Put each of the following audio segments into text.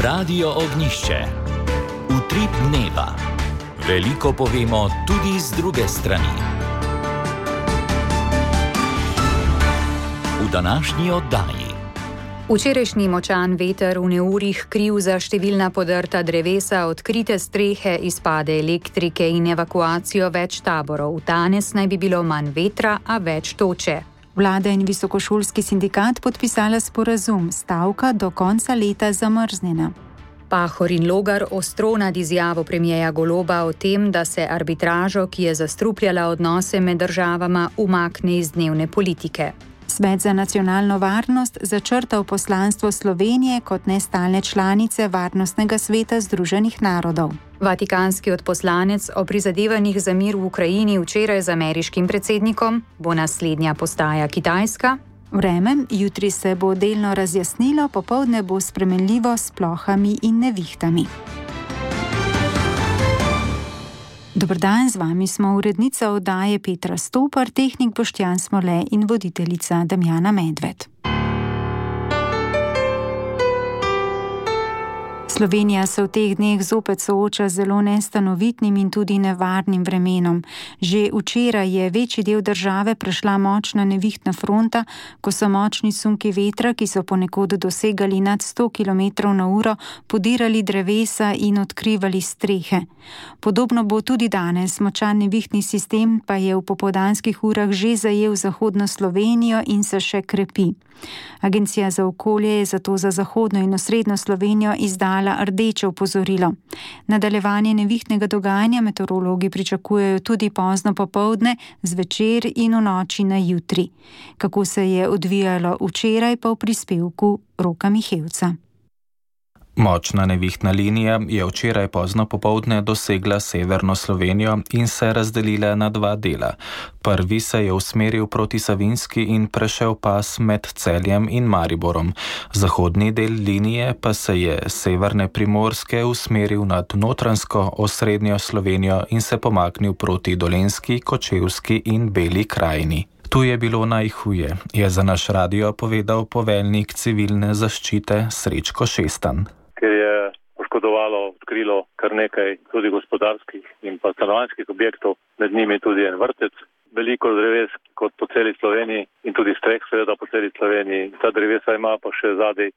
Radio Ognišče. Utrip dneva. Veliko povemo tudi z druge strani. V današnji oddaji. Včerajšnji močan veter v neurjih kriv za številna podrta drevesa, odkrite strehe, izpade elektrike in evakuacijo več taborov. Danes naj bi bilo manj vetra, a več toče. Vlada in visokošolski sindikat podpisala sporazum, stavka do konca leta zamrznjena. Pahor in Logar ostro nad izjavo premierja Goloba o tem, da se arbitražo, ki je zastrupljala odnose med državama, umakne iz dnevne politike. Svet za nacionalno varnost začrtal poslanstvo Slovenije kot nestalne članice Varnostnega sveta Združenih narodov. Vatikanski odposlanec o prizadevanjih za mir v Ukrajini včeraj z ameriškim predsednikom, bo naslednja postaja Kitajska. Vreme, jutri se bo delno razjasnilo, popoldne bo spremenljivo s plohami in nevihtami. Dober dan, z vami smo urednica oddaje Petra Stopar, tehnik Boštjan Smole in voditeljica Damjana Medved. Slovenija se v teh dneh zopet sooča z zelo nestanovitnim in tudi nevarnim vremenom. Že včeraj je večji del države prešla močna nevihtna fronta, ko so močni sunki vetra, ki so ponekod dosegali nad 100 km/h, podirali drevesa in odkrivali strehe. Podobno bo tudi danes. Močan nevihtni sistem pa je v popoldanskih urah že zajel zahodno Slovenijo in se še krepi. Agencija za okolje je zato za zahodno in osrednjo Slovenijo izdala rdeče opozorilo. Nadaljevanje nevihtnega dogajanja meteorologi pričakujejo tudi pozno popoldne, zvečer in v noči na jutri. Kako se je odvijalo včeraj, pa v prispevku Roka Mihevca. Močna nevihtna linija je včeraj pozno popoldne dosegla severno Slovenijo in se razdelila na dva dela. Prvi se je usmeril proti Savinjski in prešel pas med Celjem in Mariborom. Zahodni del linije pa se je severne Primorske usmeril nad notranjsko osrednjo Slovenijo in se pomaknil proti Dolenjski, Kočevski in Beli krajini. Tu je bilo najhuje, je za naš radio povedal poveljnik civilne zaščite Srečko Šestan. Ker je poškodovalo, odkrilo kar nekaj tudi gospodarskih in pa stanovanjskih objektov, med njimi tudi en vrtec. Veliko dreves kot po celi Sloveniji in tudi streh seveda po celi Sloveniji. Ta drevesa ima pa še zadaj,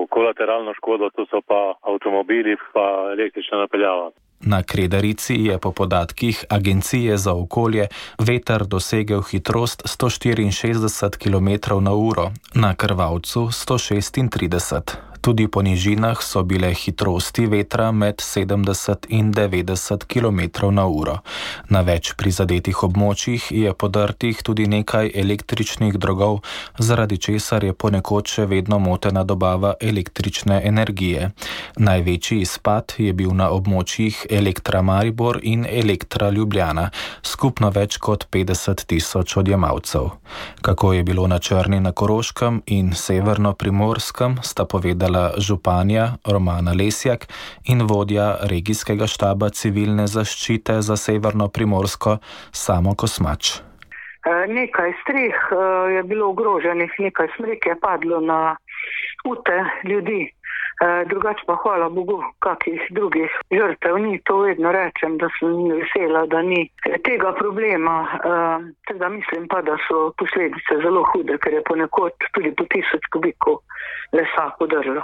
kolateralno škodo, tu so pa avtomobili pa električna napeljava. Na Kredarici je po podatkih Agencije za okolje veter dosegel hitrost 164 km/h, na Krvavcu 136. Tudi po nižinah so bile hitrosti vetra med 70 in 90 km/h. Na več prizadetih območjih je podrtih tudi nekaj električnih drogov, zaradi česar je ponekod še vedno motena dobava električne energije. Največji izpad je bil na območjih Elektra Maribor in Elektra Ljubljana, skupno več kot 50 000 odjemalcev. Kako je bilo na Črni na Koroškem in severno Primorskem, sta povedala županja Romana Lesjak in vodja regijskega štaba civilne zaščite za severno Primorsko Samo Kosmač. Nekaj streh je bilo ogroženih, nekaj smrek je padlo na ute ljudi. Drugače pa hvala Bogu, kakih drugih žrtev ni, to vedno rečem, da sem vesela, da ni tega problema. Teda mislim pa, da so posledice zelo hude, ker je ponekod tudi po 1000 kubikov lesa podrlo.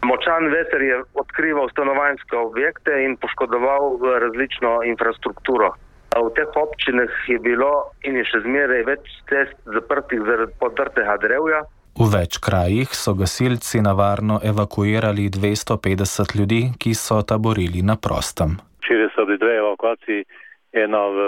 Močan veter je odkrival stanovanjske objekte in poškodoval različno infrastrukturo. V teh občinah je bilo in je še zmeraj več cest zaprtih zaradi podrtega drevja. V več krajih so gasilci na varno evakuirali 250 ljudi, ki so taborili na prostem. Včeraj so bili dve evakuaciji, ena v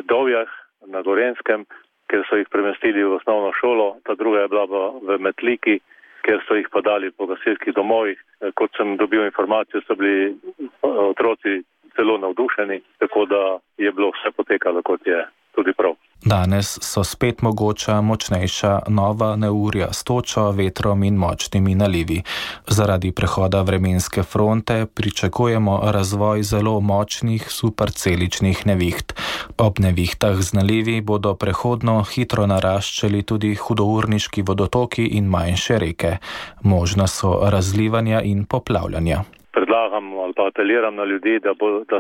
Dovjah na Gorenjskem, ker so jih premestili v osnovno šolo, ta druga je bila v Metliki, ker so jih podali po gasilskih domovih. Kot sem dobil informacijo, so bili otroci zelo navdušeni, tako da je bilo vse potekalo, kot je tudi prav. Danes so spet mogoča močnejša nova neurja s točo, vetrom in močnimi nalivi. Zaradi prehoda vremenske fronte pričakujemo razvoj zelo močnih superceličnih neviht. Ob nevihtah z nalivi bodo prehodno hitro naraščali tudi hudourniški vodotoki in manjše reke. Možna so razlivanja in poplavljanja. Predlagam ali pa apeliram na ljudi, da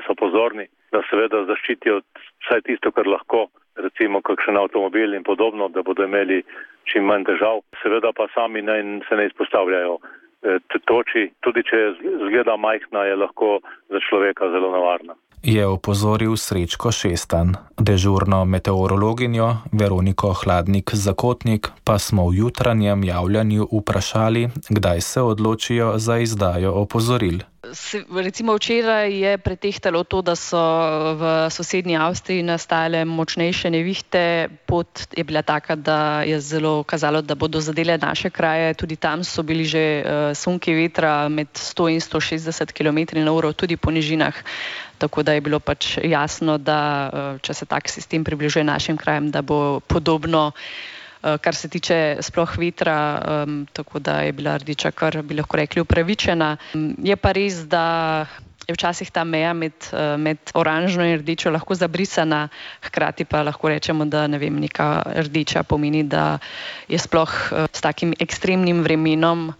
so pozorni, da seveda zaščitijo vsaj tisto, kar lahko, recimo kakšen avtomobil in podobno, da bodo imeli čim manj težav. Seveda pa sami se ne izpostavljajo toči, tudi če zgleda majhna, je lahko za človeka zelo nevarna. Je opozoril Srečko Šestan. Dežurno meteorologinjo Veroniko Hladnik-Zakotnik pa smo v jutranjem javljanju vprašali, kdaj se odločijo za izdajo opozoril. Recimo včeraj je pretehtalo to, da so v sosednji Avstriji nastale močnejše nevihte. Pot je bila taka, da je zelo kazalo, da bodo zadele naše kraje. Tudi tam so bili že sunki vetra med 100 in 160 km/h, tudi po nižinah. Tako da je bilo pač jasno, da če se tak sistem približuje našim krajem, da bo podobno, kar se tiče sploh vetra, tako da je bila rdeča kar, bi lahko rekli, upravičena. Je pa res, da je včasih ta meja med oranžno in rdečo lahko zabrisana, hkrati pa lahko rečemo, da neka rdeča pomeni, da je sploh s takim ekstremnim vremenom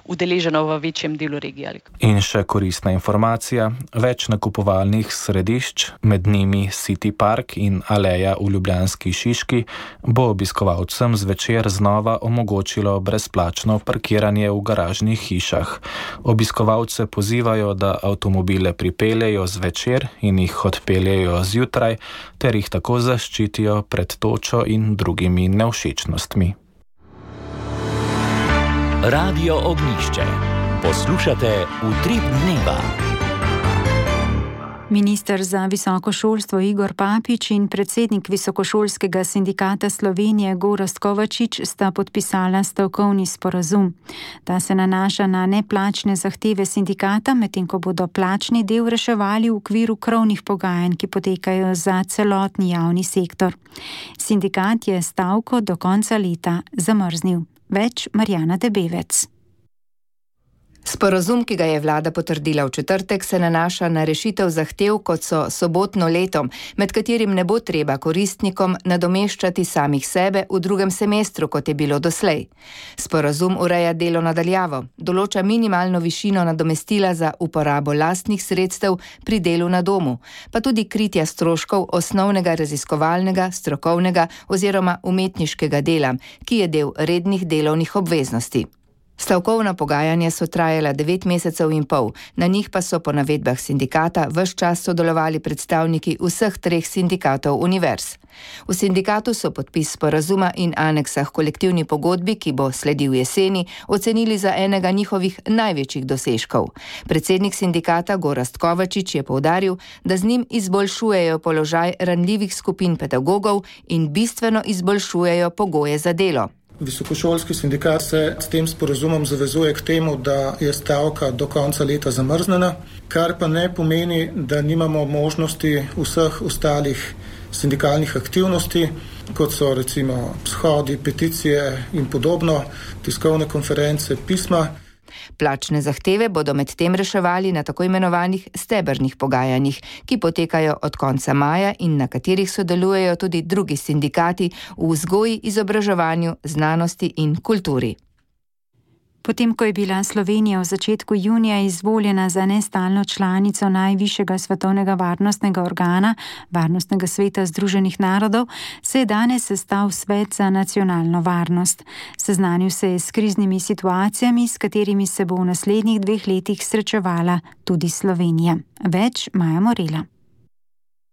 udeleženo v večjem delu regije. In še koristna informacija, več nakupovalnih središč, med njimi City Park in Aleja v ljubljanski Šiški, bo obiskovalcem zvečer znova omogočilo brezplačno parkiranje v garažnih hišah. Obiskovalce pozivajo, da avtomobile pripeljejo zvečer in jih odpeljejo zjutraj, ter jih tako zaščitijo pred točo in drugimi nevšečnostmi. Radio Ognjišče. Poslušate Utrip dneva. Minister za visoko šolstvo Igor Papič in predsednik Visokošolskega sindikata Slovenije Gorazd Kovačič sta podpisala stavkovni sporazum. Ta se nanaša na neplačne zahteve sindikata, medtem ko bodo plačni del reševali v okviru krovnih pogajanj, ki potekajo za celotni javni sektor. Sindikat je stavko do konca leta zamrznil. Več Marjana Debevec. Sporazum, ki ga je vlada potrdila v četrtek, se nanaša na rešitev zahtev, kot so sobotno leto, med katerim ne bo treba koristnikom nadomeščati samih sebe v drugem semestru, kot je bilo doslej. Sporazum ureja delo na daljavo, določa minimalno višino nadomestila za uporabo lastnih sredstev pri delu na domu, pa tudi kritja stroškov osnovnega raziskovalnega, strokovnega oziroma umetniškega dela, ki je del rednih delovnih obveznosti. Stavkovna pogajanja so trajala 9 mesecev in pol, na njih pa so po navedbah sindikata ves čas sodelovali predstavniki vseh 3 sindikatov univerz. V sindikatu so podpis sporazuma in aneksa k kolektivni pogodbi, ki bo sledil jeseni, ocenili za enega njihovih največjih dosežkov. Predsednik sindikata Gorazd Kovačič je poudaril, da z njim izboljšujejo položaj ranljivih skupin pedagogov in bistveno izboljšujejo pogoje za delo. Visokošolski sindikat se s tem sporazumom zavezuje k temu, da je stavka do konca leta zamrznjena, kar pa ne pomeni, da nimamo možnosti vseh ostalih sindikalnih aktivnosti, kot so recimo shodi, peticije in podobno, tiskovne konference, pisma. Plačne zahteve bodo med tem reševali na tako imenovanih stebrnih pogajanjih, ki potekajo od konca maja in na katerih sodelujejo tudi drugi sindikati v vzgoji, izobraževanju, znanosti in kulturi. Potem, ko je bila Slovenija v začetku junija izvoljena za nestalno članico najvišjega svetovnega varnostnega organa, Varnostnega sveta Združenih narodov, se je danes sestal Svet za nacionalno varnost. Seznanil se je s kriznimi situacijami, s katerimi se bo v naslednjih 2 letih srečevala tudi Slovenija. Več Maja Morela.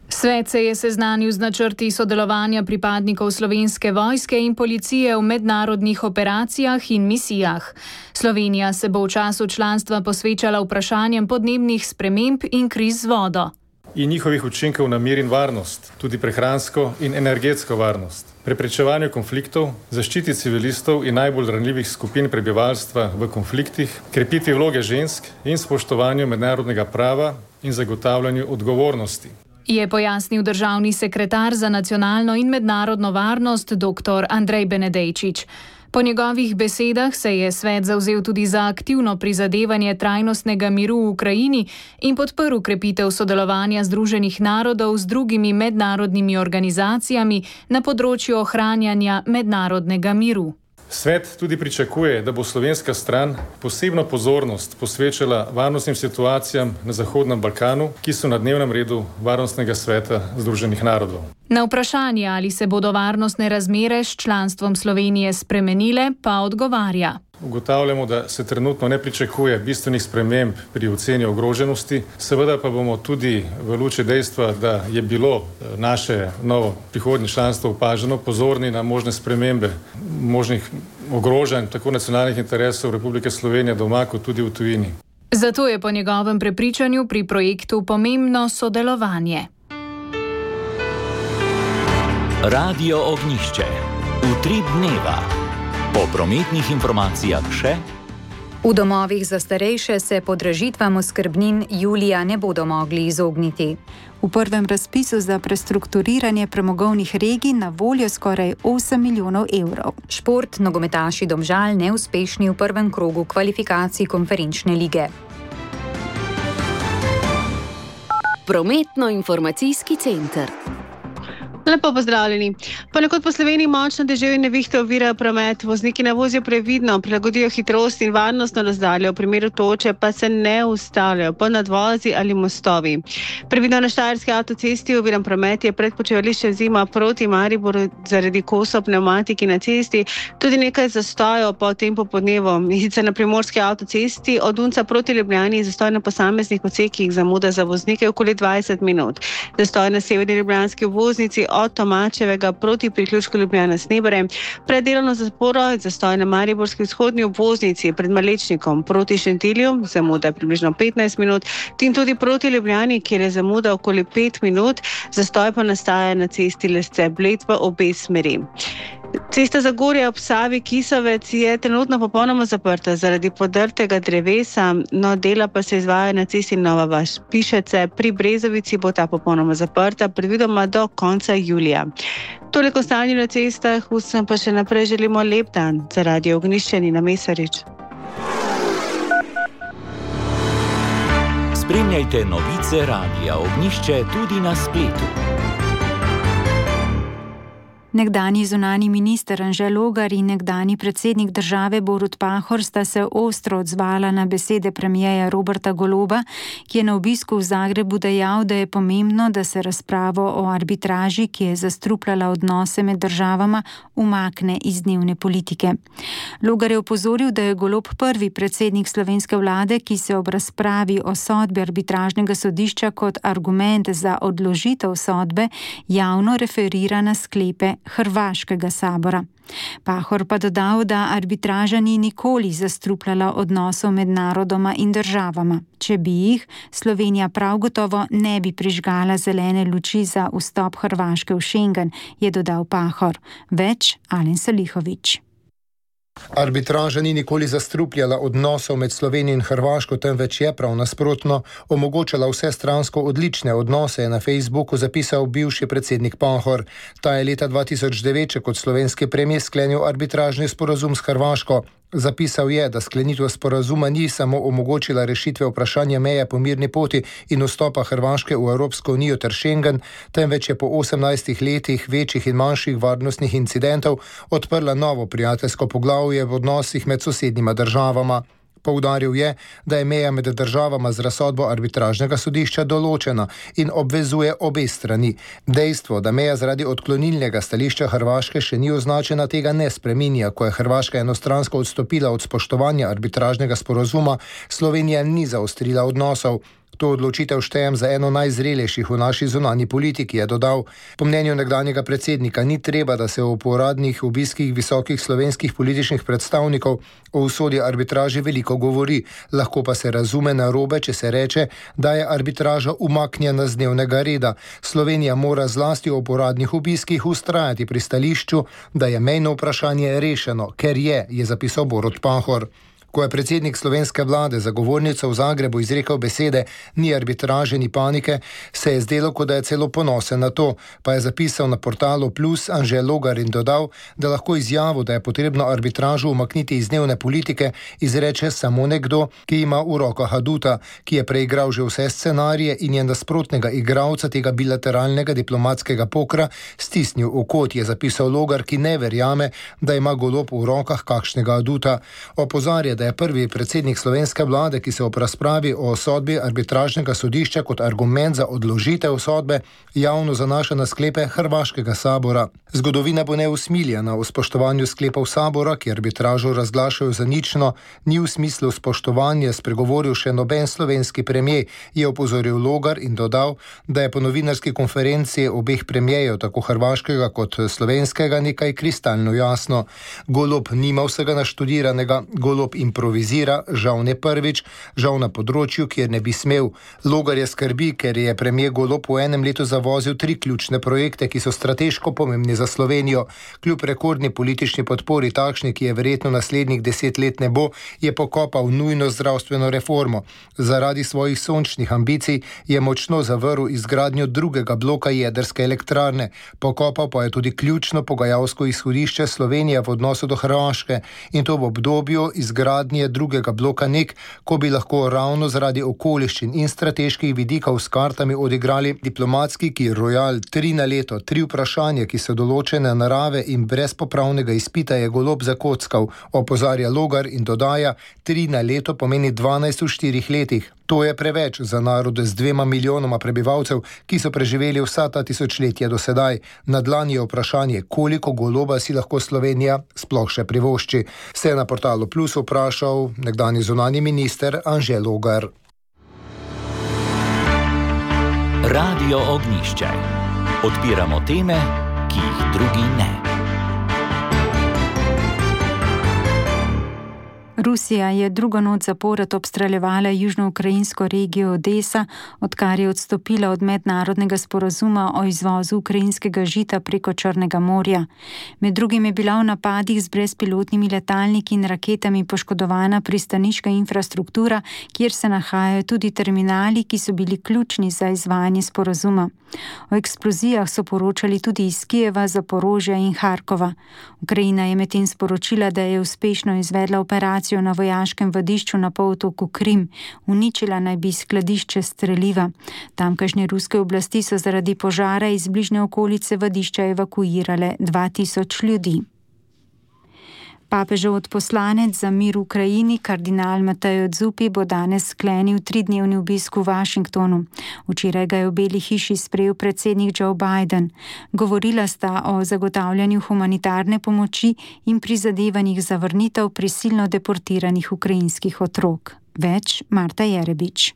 Svet se je seznanil z načrti sodelovanja pripadnikov Slovenske vojske in policije v mednarodnih operacijah in misijah. Slovenija se bo v času članstva posvečala vprašanjem podnebnih sprememb in kriz z vodo. In njihovih učinkov na mir in varnost, tudi prehransko in energetsko varnost, preprečevanju konfliktov, zaščiti civilistov in najbolj ranljivih skupin prebivalstva v konfliktih, krepitvi vloge žensk in spoštovanju mednarodnega prava in zagotavljanju odgovornosti. je pojasnil državni sekretar za nacionalno in mednarodno varnost dr. Andrej Benedejčič. Po njegovih besedah se je svet zavzel tudi za aktivno prizadevanje trajnostnega miru v Ukrajini in podprl krepitev sodelovanja Združenih narodov z drugimi mednarodnimi organizacijami na področju ohranjanja mednarodnega miru. Svet tudi pričakuje, da bo slovenska stran posebno pozornost posvečala varnostnim situacijam na Zahodnem Balkanu, ki so na dnevnem redu Varnostnega sveta Združenih narodov. Na vprašanje, ali se bodo varnostne razmere s članstvom Slovenije spremenile, pa odgovarja. Ugotavljamo, da se trenutno ne pričakuje bistvenih sprememb pri oceni ogroženosti, seveda pa bomo tudi v luči dejstva, da je bilo naše novo prihodnje članstvo opaženo, pozorni na možne spremembe, možnih ogrožanj tako nacionalnih interesov Republike Slovenije doma kot tudi v tujini. Zato je po njegovem prepričanju pri projektu pomembno sodelovanje. Radio Ognjišče. Utrip dneva. Po prometnih informacijah še. V domovih za starejše se podražitvam oskrbnin julija ne bodo mogli izogniti. V prvem razpisu za prestrukturiranje premogovnih regij na voljo skoraj 8 milijonov evrov. Šport, nogometaši Domžal neuspešni v prvem krogu kvalifikacij konferenčne lige. Prometno-informacijski center. Lepo pozdravljeni. Ponekod po Sloveniji močno deževje in nevihte ovirajo promet. Vozniki naj vozijo previdno, prilagodijo hitrost in varnostno razdaljo, v primeru toče pa se ne ustavljajo po nadvozi ali mostovi. Previdno na Štajerski avtocesti oviran promet je pred počivališčem Zima proti Mariboru zaradi kosov pnevmatiki na cesti, tudi nekaj zastojev po tem popodnevu. In sicer na Primorski avtocesti od Unca proti Ljubljani zastoj na posameznih odsekih, zamuda za voznike okoli 20 minut. Zastoj na severni ljubljanski obvoznici od Tomačevega proti priključku Ljubljana-Snebere, pred delovno zaporo zastoj na mariborski vzhodni obvoznici pred Malečnikom proti Šentilju, zamuda približno 15 minut, in tudi proti Ljubljani, kjer je zamuda okoli 5 minut, zastoj pa nastaja na cesti Lesce-Bled v obe smeri. Cesta Zagorje ob Savi Kisovec je trenutno popolnoma zaprta zaradi podrtega drevesa, no dela pa se izvaja na cesti Nova Vas-Pišece. Pri Brezovici bo ta popolnoma zaprta, predvidoma do konca julija. Toliko stanje na cestah, vsem pa še naprej želimo lep dan. Za Radio Ognjišče Nina Mesarič. Spremljajte novice Radia Ognjišče tudi na spletu. Nekdanji zunanji minister Anže Logar in nekdanji predsednik države Borut Pahor sta se ostro odzvala na besede premierja Roberta Goloba, ki je na obisku v Zagrebu dejal, da je pomembno, da se razpravo o arbitraži, ki je zastrupljala odnose med državama, umakne iz dnevne politike. Logar je opozoril, da je Golob prvi predsednik slovenske vlade, ki se ob razpravi o sodbi arbitražnega sodišča kot argument za odložitev sodbe javno referira na sklepe Hrvaškega sabora. Pahor pa dodal, da arbitraža ni nikoli zastrupljala odnosov med narodoma in državama. Če bi jih, Slovenija prav gotovo ne bi prižgala zelene luči za vstop Hrvaške v Schengen, je dodal Pahor. Več Alen Salihović. Arbitraža ni nikoli zastrupljala odnosov med Slovenijo in Hrvaško, temveč je prav nasprotno omogočala vsestransko odlične odnose, je na Facebooku zapisal bivši predsednik Pahor. Ta je leta 2009 kot slovenski premijer sklenil arbitražni sporazum s Hrvaško. Zapisal je, da sklenitev sporazuma ni samo omogočila rešitve vprašanja meje po mirni poti in vstopa Hrvaške v Evropsko unijo ter Schengen, temveč je po 18 letih večjih in manjših varnostnih incidentov odprla novo prijateljsko poglavje v odnosih med sosednjima državama. Poudaril je, da je meja med državama z razsodbo arbitražnega sodišča določena in obvezuje obe strani. Dejstvo, da meja zaradi odklonilnega stališča Hrvaške še ni označena, tega ne spreminja. Ko je Hrvaška enostransko odstopila od spoštovanja arbitražnega sporazuma, Slovenija ni zaostrila odnosov. To odločitev štejem za eno najzrelejših v naši zunanji politiki, je dodal. Po mnenju nekdanjega predsednika ni treba, da se o uradnih obiskih visokih slovenskih političnih predstavnikov o usodi arbitraži veliko govori. Lahko pa se razume narobe, če se reče, da je arbitraža umaknjena z dnevnega reda. Slovenija mora zlasti o uradnih obiskih vztrajati pri stališču, da je mejno vprašanje rešeno, ker je zapisal Borut Pahor. Ko je predsednik slovenske vlade za govornico v Zagrebu izrekel besede "ni arbitraže, ni panike", se je zdelo, kot da je celo ponosen na to, pa je zapisal na portalu Plus Anže Logar in dodal, da lahko izjavo, da je potrebno arbitražo umakniti iz dnevne politike, izreče samo nekdo, ki ima v rokah aduta, ki je preigral že vse scenarije in je nasprotnega igralca tega bilateralnega diplomatskega pokra stisnil v kot, je zapisal Logar, ki ne verjame, da ima Golob v rokah kakšnega aduta. Opozarja, da je prvi predsednik slovenske vlade, ki se ob razpravi o sodbi arbitražnega sodišča kot argument za odložitev sodbe javno zanaša na sklepe hrvaškega sabora. Zgodovina bo neusmiljena v spoštovanju sklepov sabora, ki arbitražo razglašajo za nično, ni v smislu spoštovanja spregovoril še noben slovenski premijer, je opozoril Logar in dodal, da je po novinarski konferenci obeh premijejev, tako hrvaškega kot slovenskega, nekaj kristalno jasno. Golob nima vsega naštudiranega, Golob improvizira, žal ne prvič, žal na področju, kjer ne bi smel. Logar je skrbi, ker je premijer Golob v enem letu zavozil 3 ključne projekte, ki so strateško pomembni za Slovenijo. Kljub rekordni politični podpori, takšni, ki je verjetno naslednjih 10 let ne bo, je pokopal nujno zdravstveno reformo. Zaradi svojih sončnih ambicij je močno zavrl izgradnjo drugega bloka jedrske elektrarne. Pokopal pa je tudi ključno pogajalsko izhodišče Slovenije v odnosu do Hrvaške in to v obdobju izgradnje drugega bloka NEK, ko bi lahko ravno zaradi okoliščin in strateških vidikov s kartami odigrali diplomatski Royal 3 na leto, 3 vprašanja, ki so določene narave in brez popravnega izpita je Golob zakockal, opozarja Logar in dodaja, 3 na leto pomeni 12 v 4 letih. To je preveč za narod z 2 milijonoma prebivalcev, ki so preživeli vsa ta tisočletja do sedaj. Na dlani je vprašanje, koliko Goloba si lahko Slovenija sploh še privošči. Se je na portalu Plus vprašal nekdanji zunanji minister Anže Logar. Radio Ognjišče. Odpiramo teme, ki jih drugi ne. Rusija je drugo noč zapored obstreljevala južnoukrajinsko regijo Odesa, odkar je odstopila od mednarodnega sporazuma o izvozu ukrajinskega žita preko Črnega morja. Med drugim je bila v napadih z brezpilotnimi letalniki in raketami poškodovana pristaniška infrastruktura, kjer se nahajajo tudi terminali, ki so bili ključni za izvajanje sporazuma. O eksplozijah so poročali tudi iz Kijeva, Zaporožja in Harkova. Ukrajina je medtem sporočila, da je uspešno izvedla operacijo na vojaškem vadišču na polotoku Krim. Uničila naj bi skladišče streliva. Tamkajšnje ruske oblasti so zaradi požara iz bližnje okolice vadišča evakuirale 2000 ljudi. Papežev odposlanec za mir v Ukrajini, kardinal Mateo Zuppi, bo danes sklenil 3-dnevni obisk v Washingtonu. Včeraj ga je v Beli hiši sprejel predsednik Joe Biden. Govorila sta o zagotavljanju humanitarne pomoči in prizadevanjih za vrnitev prisilno deportiranih ukrajinskih otrok. Več Marta Jerebič.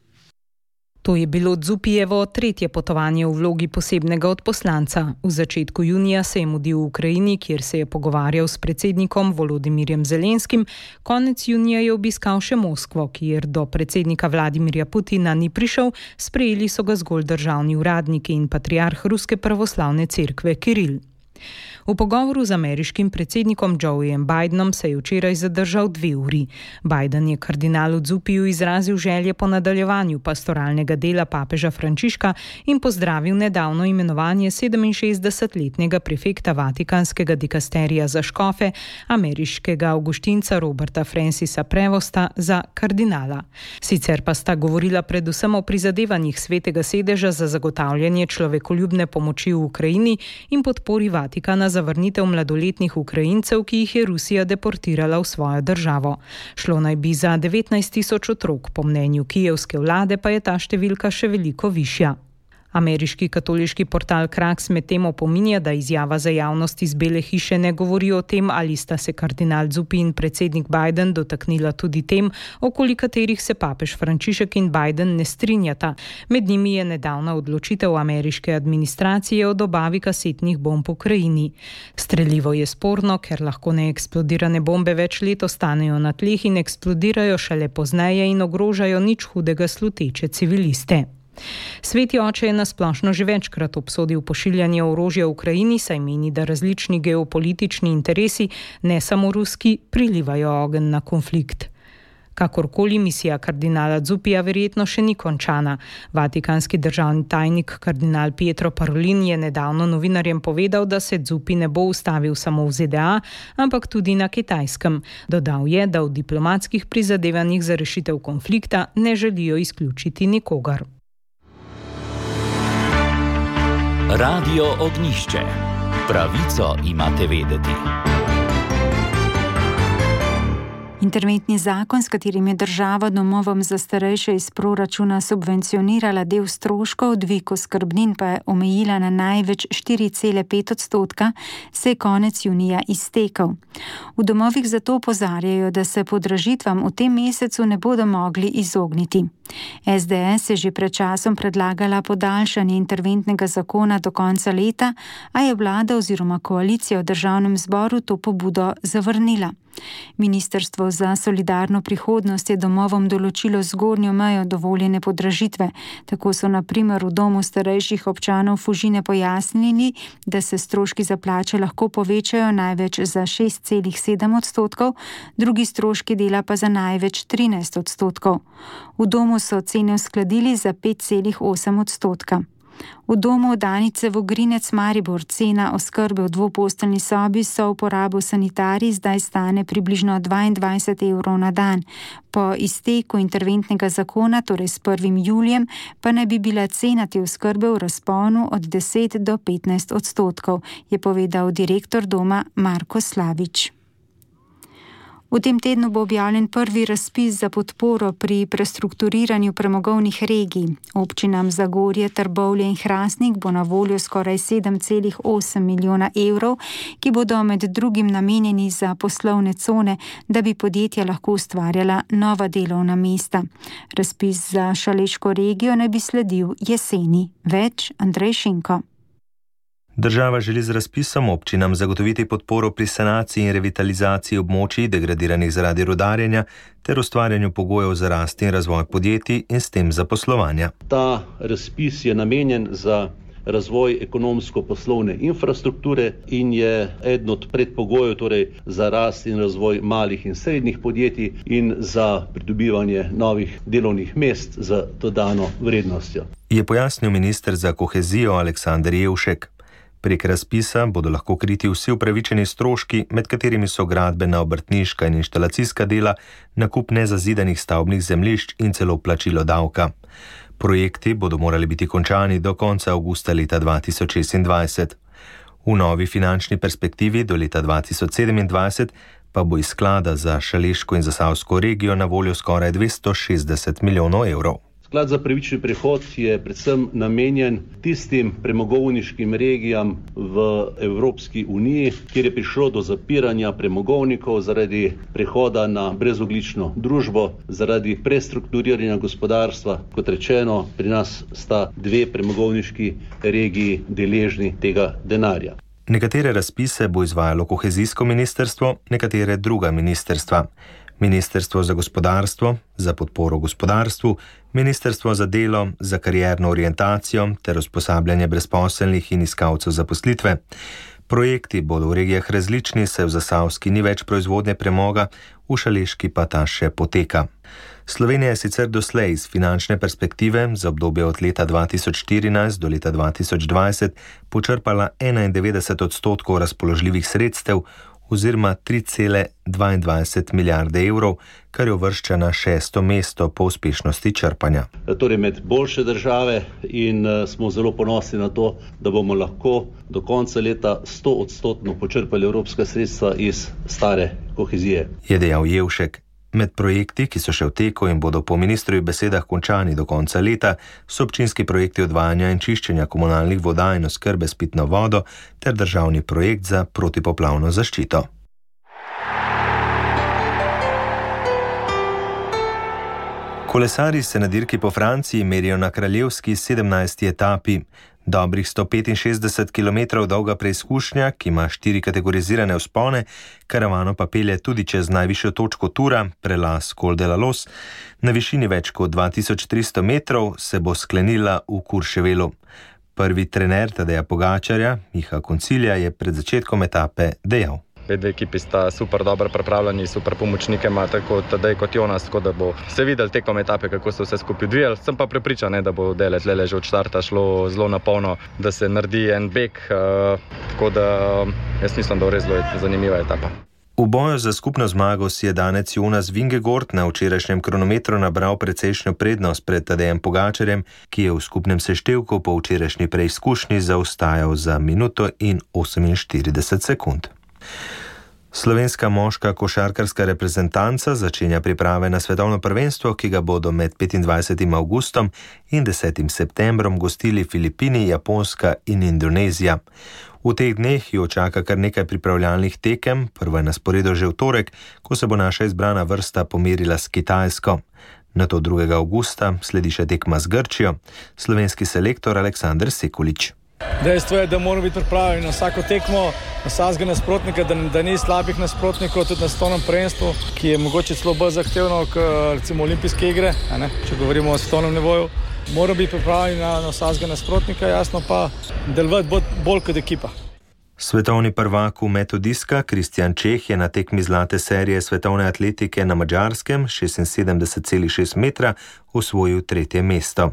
To je bilo Zuppijevo 3. potovanje v vlogi posebnega odposlanca. V začetku junija se je mudil v Ukrajini, kjer se je pogovarjal s predsednikom Volodimirjem Zelenskim. Konec junija je obiskal še Moskvo, kjer do predsednika Vladimirja Putina ni prišel, sprejeli so ga zgolj državni uradniki in patriarh Ruske pravoslavne cerkve Kiril. V pogovoru z ameriškim predsednikom Joejem Bidenom se je včeraj zadržal 2 uri. Biden je kardinalu Zuppiju izrazil želje po nadaljevanju pastoralnega dela papeža Frančiška in pozdravil nedavno imenovanje 67-letnega prefekta Vatikanskega dikasterija za škofe, ameriškega avguštinca Roberta Francisa Prevosta, za kardinala. Sicer pa sta govorila predvsem o prizadevanjih Svetega sedeža za zagotavljanje človekoljubne pomoči v Ukrajini in podpori Vatikana za vrnitev mladoletnih Ukrajincev, ki jih je Rusija deportirala v svojo državo. Šlo naj bi za 19.000 otrok, po mnenju kijevske vlade pa je ta številka še veliko višja. Ameriški katoliški portal Kraks medtem opominja, da izjava za javnost iz Bele hiše ne govori o tem, ali sta se kardinal Zuppi in predsednik Biden dotaknila tudi tem, okoli katerih se papež Frančišek in Biden ne strinjata. Med njimi je nedavna odločitev ameriške administracije o dobavi kasetnih bomb v Ukrajini. Strelivo je sporno, ker lahko neeksplodirane bombe več let ostanejo na tleh in eksplodirajo šele pozneje in ogrožajo nič hudega sluteče civiliste. Sveti oče je nasplošno že večkrat obsodil pošiljanje orožja v Ukrajini, saj meni, da različni geopolitični interesi, ne samo ruski, prilivajo ogenj na konflikt. Kakorkoli, misija kardinala Zupija verjetno še ni končana. Vatikanski državni tajnik kardinal Pietro Parolin je nedavno novinarjem povedal, da se Zupi ne bo ustavil samo v ZDA, ampak tudi na Kitajskem. Dodal je, da v diplomatskih prizadevanjih za rešitev konflikta ne želijo izključiti nikogar. Radio Ognjišče. Pravico imate vedeti. Interventni zakon, s katerim je država domovom za starejše iz proračuna subvencionirala del stroškov, dvig oskrbnin pa je omejila na največ 4,5%, se je konec junija iztekel. V domovih zato opozarjajo, da se podražitvam v tem mesecu ne bodo mogli izogniti. SDS je že pred časom predlagala podaljšanje interventnega zakona do konca leta, a je vlada oziroma koalicija v državnem zboru to pobudo zavrnila. Ministrstvo za solidarno prihodnost je domovom določilo zgornjo mejo dovoljene podražitve. Tako so na primer v domu starejših občanov Fužine pojasnili, da se stroški za plače lahko povečajo največ za 6,7%, drugi stroški dela pa za največ 13%. V domu so cene uskladili za 5,8%. V domu Danice Vogrinec Maribor cena oskrbe v dvoposteljni sobi so uporabo sanitarij zdaj stane približno 22 evrov na dan. Po izteku interventnega zakona, torej s 1. julijem, pa naj bi bila cena te oskrbe v razponu od 10 do 15%, je povedal direktor doma Marko Slavič. V tem tednu bo objavljen prvi razpis za podporo pri prestrukturiranju premogovnih regij. Občinam Zagorje, Trbovlje in Hrastnik bo na voljo skoraj 7,8 milijona evrov, ki bodo med drugim namenjeni za poslovne cone, da bi podjetja lahko ustvarjala nova delovna mesta. Razpis za Šaleško regijo naj bi sledil jeseni. Več Andrej Šinko. Država želi z razpisom občinam zagotoviti podporo pri sanaciji in revitalizaciji območij degradiranih zaradi rudarjenja ter ustvarjanju pogojev za rast in razvoj podjetij in s tem zaposlovanja. Ta razpis je namenjen za razvoj ekonomsko-poslovne infrastrukture in je eden od predpogojev torej za rast in razvoj malih in srednjih podjetij in za pridobivanje novih delovnih mest z dodano vrednostjo. Je pojasnil minister za kohezijo Aleksander Jevšek. Prek razpisa bodo lahko kriti vsi upravičeni stroški, med katerimi so gradbena, obrtniška in inštalacijska dela, nakup nezazidanih stavbnih zemljišč in celo plačilo davka. Projekti bodo morali biti končani do konca avgusta leta 2026. V novi finančni perspektivi do leta 2027 pa bo iz sklada za Šaleško in Zasavsko regijo na voljo skoraj 260 milijonov evrov. Sklad za pravični prehod je predvsem namenjen tistim premogovniškim regijam v Evropski uniji, kjer je prišlo do zapiranja premogovnikov zaradi prehoda na brezogljično družbo, zaradi prestrukturiranja gospodarstva. Kot rečeno, pri nas sta dve premogovniški regiji deležni tega denarja. Nekatere razpise bo izvajalo kohezijsko ministrstvo, nekatere druga ministrstva. Ministrstvo za gospodarstvo, za podporo gospodarstvu, Ministrstvo za delo, za karierno orientacijo ter usposabljanje brezposelnih in iskalcev zaposlitve. Projekti bodo v regijah različni, saj v Zasavski ni več proizvodnje premoga, v Šaleški pa ta še poteka. Slovenija je sicer doslej iz finančne perspektive za obdobje od leta 2014 do leta 2020 počrpala 91% razpoložljivih sredstev oziroma 3,22 milijarde evrov, kar je uvršča na 6. mesto po uspešnosti črpanja. Torej med boljše države in smo zelo ponosni na to, da bomo lahko do konca leta 100% počrpali evropska sredstva iz stare kohezije. Je dejal Jevšek. Med projekti, ki so še v teku in bodo po ministrovih besedah končani do konca leta, so občinski projekti odvajanja in čiščenja komunalnih voda in oskrbe s pitno vodo ter državni projekt za protipoplavno zaščito. Kolesarji se na dirki po Franciji merijo na kraljevski 17. etapi. Dobrih 165 km dolga preizkušnja, ki ima 4 kategorizirane vzpone, karavano pa pelje tudi čez najvišjo točko Tura, prelaz Col de la Los, na višini več kot 2300 metrov, se bo sklenila v Courchevelu. Prvi trener Tadeja Pogačarja, Miha Koncilja, je pred začetkom etape dejal. Dve ekipi sta super dobro pripravljeni, super pomočnike ima tako Tadej kot Jonas, tako da bo se videl tekom etape, kako se vse skupaj odvijalo. Sem pa prepričan, da bo dele tlele že od štarta šlo zelo na polno, da se naredi en beg, tako da jaz mislim, da bo res zelo zanimiva etapa. V boju za skupno zmago si je danec Jonas Vingegaard na včerajšnjem kronometru nabral precejšnjo prednost pred Tadejem Pogačarjem, ki je v skupnem seštevku po včerajšnji preizkušnji zaostajal za minuto in 48 sekund. Slovenska moška košarkarska reprezentanca začenja priprave na svetovno prvenstvo, ki ga bodo med 25. avgustom in 10. septembrom gostili Filipini, Japonska in Indonezija. V teh dneh jo čaka kar nekaj pripravljalnih tekem, prva je na sporedu že v torek, ko se bo naša izbrana vrsta pomerila s Kitajsko. Nato 2. avgusta sledi še tekma z Grčijo. Slovenski selektor Aleksander Sekulič. Dejstvo je, da moramo biti pripravljeni na vsako tekmo, na vsakega nasprotnika, da ni slabih nasprotnikov, tudi na svetovnem prvenstvu, ki je mogoče celo bolj zahtevno kot recimo olimpijske igre, če govorimo o svetovnem nivoju. Moramo biti pripravljeni na vsakega nasprotnika, jasno pa delovati bolj kot ekipa. Svetovni prvak v metu diska Kristjan Čeh je na tekmi zlate serije svetovne atletike na Madžarskem 76,6 metra osvojil 3. mesto.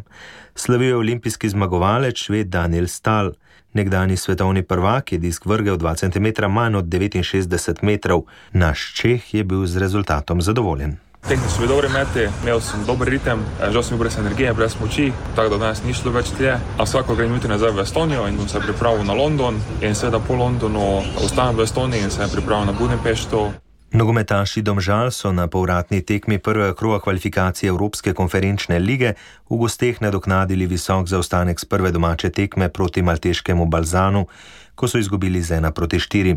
Slavil je olimpijski zmagovalec Šved Daniel Stahl. Nekdani svetovni prvak je disk vrgel 2 cm manj od 69 metrov. Naš Čeh je bil z rezultatom zadovoljen. Tehnično so bili dobri meti, imel sem dober ritem, žal sem bil brez energije, brez moči, tako da danes ni šlo več tlje. A vsako grem jutri nazaj v Estonijo in bom se pripravil na London in seveda po Londonu ostanem v Estoniji in se pripravil na Budimpešto. Nogometaši Domžal so na povratni tekmi prvega kroga kvalifikacije Evropske konferenčne lige v gosteh nadoknadili visok zaostanek z prve domače tekme proti malteškemu Balzanu, ko so izgubili z 1-4.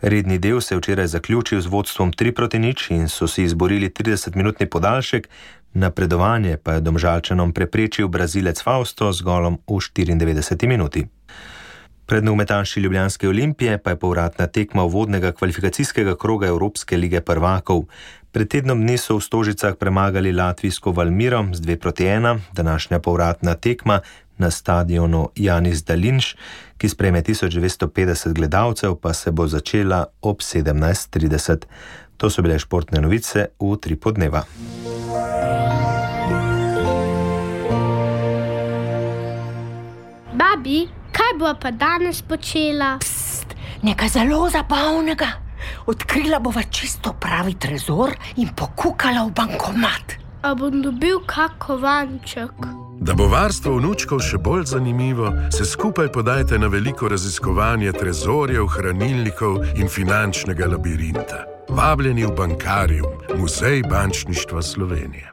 Redni del se je včeraj zaključil z vodstvom 3-0 in so si izborili 30-minutni podaljšek, napredovanje pa je Domžalčanom preprečil Brazilec Fausto z golom v 94 minuti. Pred nogometaši Ljubljanske Olimpije pa je povratna tekma uvodnega kvalifikacijskega kroga Evropske lige prvakov. Pred tednom dni so v Stožicah premagali latvijsko Valmiro z 2-1, današnja povratna tekma na stadionu Janis Dalinš, ki sprejme 1950 gledalcev, pa se bo začela ob 17:30. To so bile športne novice v 3 podneva. Babi, kaj bo pa danes počela? Pst, nekaj zelo zabavnega. Odkrila bova čisto pravi trezor in pokukala v bankomat. A bom dobil kak kovanček? Da bo varstvo vnučkov še bolj zanimivo, se skupaj podajte na veliko raziskovanje trezorjev, hranilnikov in finančnega labirinta. Vabljeni v Bankarium, Muzej bančništva Slovenije.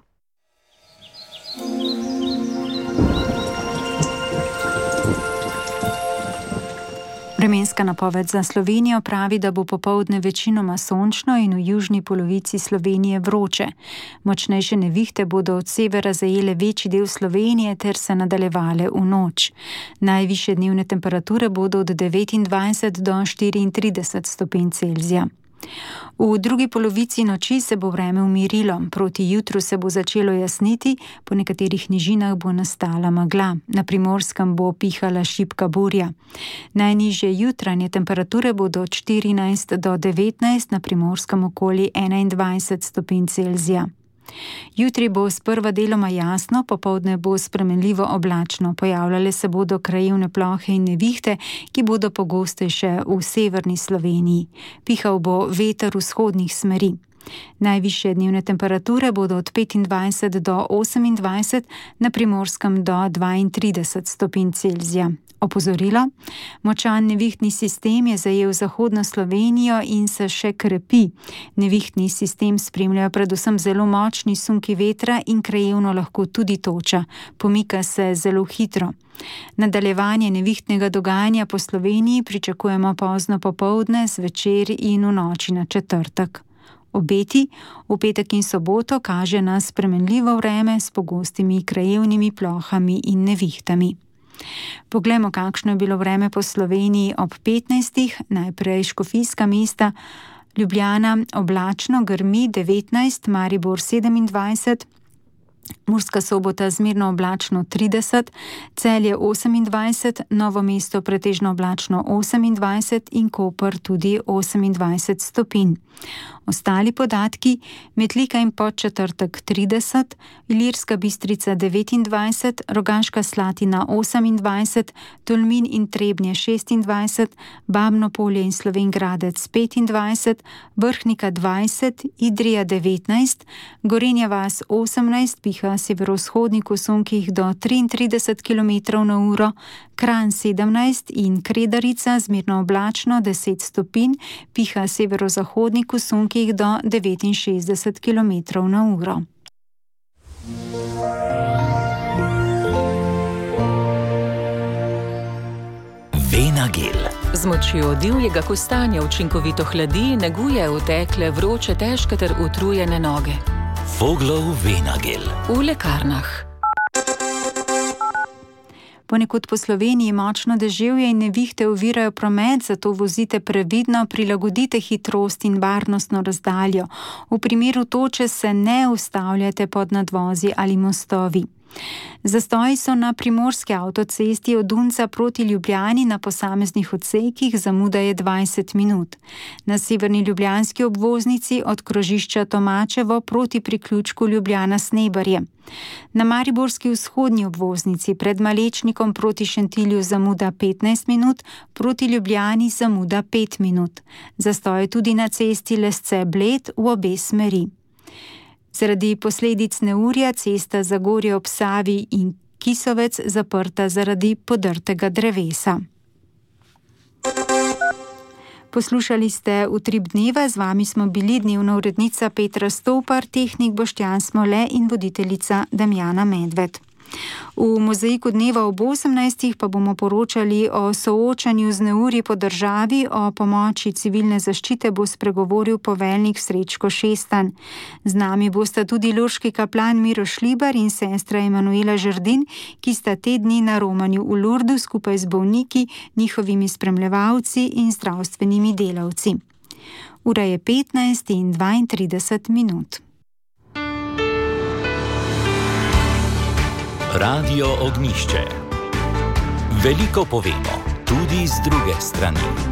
Vremenska napoved za Slovenijo pravi, da bo popoldne večinoma sončno in v južni polovici Slovenije vroče. Močnejše nevihte bodo od severa zajele večji del Slovenije ter se nadaljevale v noč. Najvišje dnevne temperature bodo od 29 do 34 stopinj Celzija. V drugi polovici noči se bo vreme umirilo, proti jutru se bo začelo jasniti, po nekaterih nižinah bo nastala megla, na Primorskem bo pihala šibka burja. Najnižje jutranje temperature bodo od 14 do 19, na Primorskem okoli 21 stopinj Celzija. Jutri bo sprva deloma jasno, popoldne bo spremenljivo oblačno, pojavljale se bodo krajevne plohe in nevihte, ki bodo pogostejše v severni Sloveniji. Pihal bo veter vzhodnih smeri. Najvišje dnevne temperature bodo od 25 do 28, na Primorskem do 32 stopinj Celzija. Opozorilo: močan nevihtni sistem je zajel zahodno Slovenijo in se še krepi. Nevihtni sistem spremljajo predvsem zelo močni sunki vetra in krajevno lahko tudi toča. Pomika se zelo hitro. Nadaljevanje nevihtnega dogajanja po Sloveniji pričakujemo pozno popoldne, zvečer in v noči na četrtek. Obeti v petek in soboto kaže na spremenljivo vreme s pogostimi krajevnimi plohami in nevihtami. Poglejmo, kakšno je bilo vreme po Sloveniji ob 15. Najprej škofijska mesta. Ljubljana oblačno, grmi 19, Maribor 27, Murska Sobota zmerno oblačno 30, Celje 28, Novo mesto pretežno oblačno 28 in Koper tudi 28 stopinj. Ostali podatki: Metlika in Podčetrtek 30, Ilirska Bistrica 29, Rogaška Slatina 28, Tolmin in Trebnje 26, Babno Polje in Slovenj Gradec 25, Vrhnika 20, Idrija 19, Gorenja vas 18, piha severovzhodnik v sunkih do 33 km/h, Kranj 17 in Kredarica zmerno oblačno 10 stopinj, piha severozahodnik v sunkih do 69 km/h. Venagel. Z močjo divjega kostanja učinkovito hladi, neguje otekle, vroče, težke ter utrujene noge. Voglov Venagel. V lekarnah. Ponekod po Sloveniji močno deževje in nevihte ovirajo promet, zato vozite previdno, prilagodite hitrost in varnostno razdaljo. V primeru toče se ne ustavljate pod nadvozi ali mostovi. Zastoji so na primorski avtocesti od Dunca proti Ljubljani na posameznih odsekih, zamuda je 20 minut. Na severni ljubljanski obvoznici od krožišča Tomačevo proti priključku Ljubljana-Snebarje. Na mariborski vzhodni obvoznici pred Malečnikom proti Šentilju zamuda 15 minut, proti Ljubljani zamuda 5 minut. Zastoj tudi na cesti Lesce-Bled v obe smeri. Zaradi posledic neurja cesta Zagorje ob Savi in Kisovec zaprta zaradi podrtega drevesa. Poslušali ste Utrip dneva, z vami smo bili dnevna urednica Petra Stopar, tehnik Boštjan Smole in voditeljica Damjana Medved. V mozaiku dneva ob 18. pa bomo poročali o soočanju z neurji po državi, o pomoči civilne zaščite bo spregovoril poveljnik Srečko Šestan. Z nami bosta tudi lurški kaplan Miro Šlibar in sestra Emanuela Žerdin, ki sta te dni na romanju v Lurdu skupaj z bolniki, njihovimi spremljevalci in zdravstvenimi delavci. Ura je 15 in 32 minut. Radio Ognjišče. Veliko povemo, tudi z druge strani.